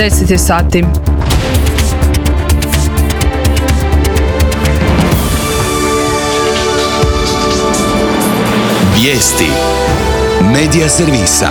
10 je sati. Vijesti Medija servisa.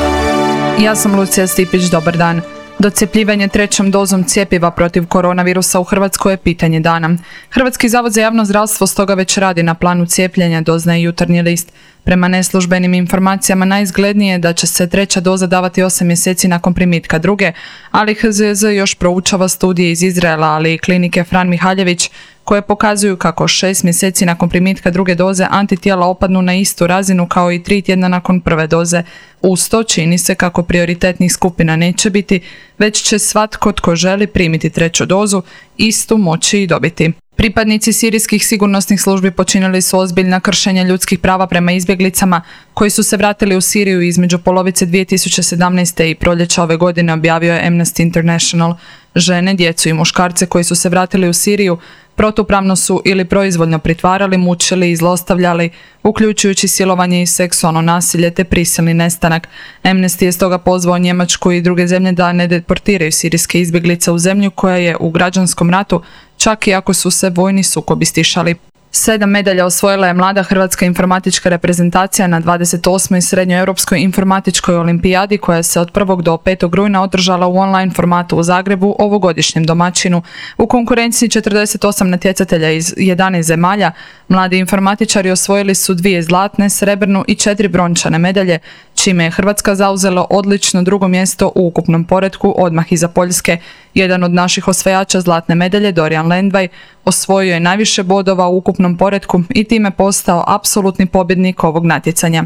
Ja sam Lucija Stipić, dobar dan. Docjepljivanje trećom dozom cjepiva protiv koronavirusa u Hrvatskoj je pitanje dana. Hrvatski zavod za javno zdravstvo stoga već radi na planu cijepljenja, doznaje Jutarnji list. Prema neslužbenim informacijama najizglednije je da će se treća doza davati 8 mjeseci nakon primitka druge, ali HZJZ još proučava studije iz Izraela, ali i klinike Fran Mihaljević, koje pokazuju kako 6 mjeseci nakon primitka druge doze antitijela opadnu na istu razinu kao i 3 tjedna nakon prve doze. Uz to čini se kako prioritetnih skupina neće biti, već će svatko tko želi primiti treću dozu istu moći i dobiti. Pripadnici sirijskih sigurnosnih službi počinili su ozbiljna kršenja ljudskih prava prema izbjeglicama koji su se vratili u Siriju između polovice 2017. i proljeća ove godine, objavio je Amnesty International. Žene, djecu i muškarce koji su se vratili u Siriju protupravno su ili proizvoljno pritvarali, mučili i zlostavljali, uključujući silovanje i seksualno nasilje te prisilni nestanak. Amnesty je stoga pozvao Njemačku i druge zemlje da ne deportiraju sirijske izbjeglice u zemlju koja je u građanskom ratu, čak i ako su se vojni sukobi stišali. 7 medalja osvojila je mlada hrvatska informatička reprezentacija na 28. Srednjoeuropskoj informatičkoj olimpijadi koja se od 1. do 5. rujna održala u online formatu u Zagrebu, ovogodišnjem domaćinu. U konkurenciji 48 natjecatelja iz 11 zemalja, mladi informatičari osvojili su 2 zlatne, srebrnu i 4 brončane medalje, čime je Hrvatska zauzela odlično drugo mjesto u ukupnom poretku odmah iza Poljske. Jedan od naših osvajača zlatne medalje, Dorijan Lendvaj, osvojio je najviše bodova u ukupnom poretku i time postao apsolutni pobjednik ovog natjecanja.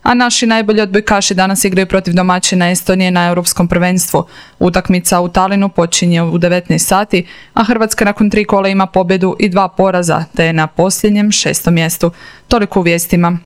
A naši najbolji odbojkaši danas igraju protiv domaćina Estonije na Europskom prvenstvu. Utakmica u Talinu počinje u 19 sati, a Hrvatska nakon 3 kola ima pobjedu i 2 poraza, te je na posljednjem 6. mjestu. Toliko u vijestima.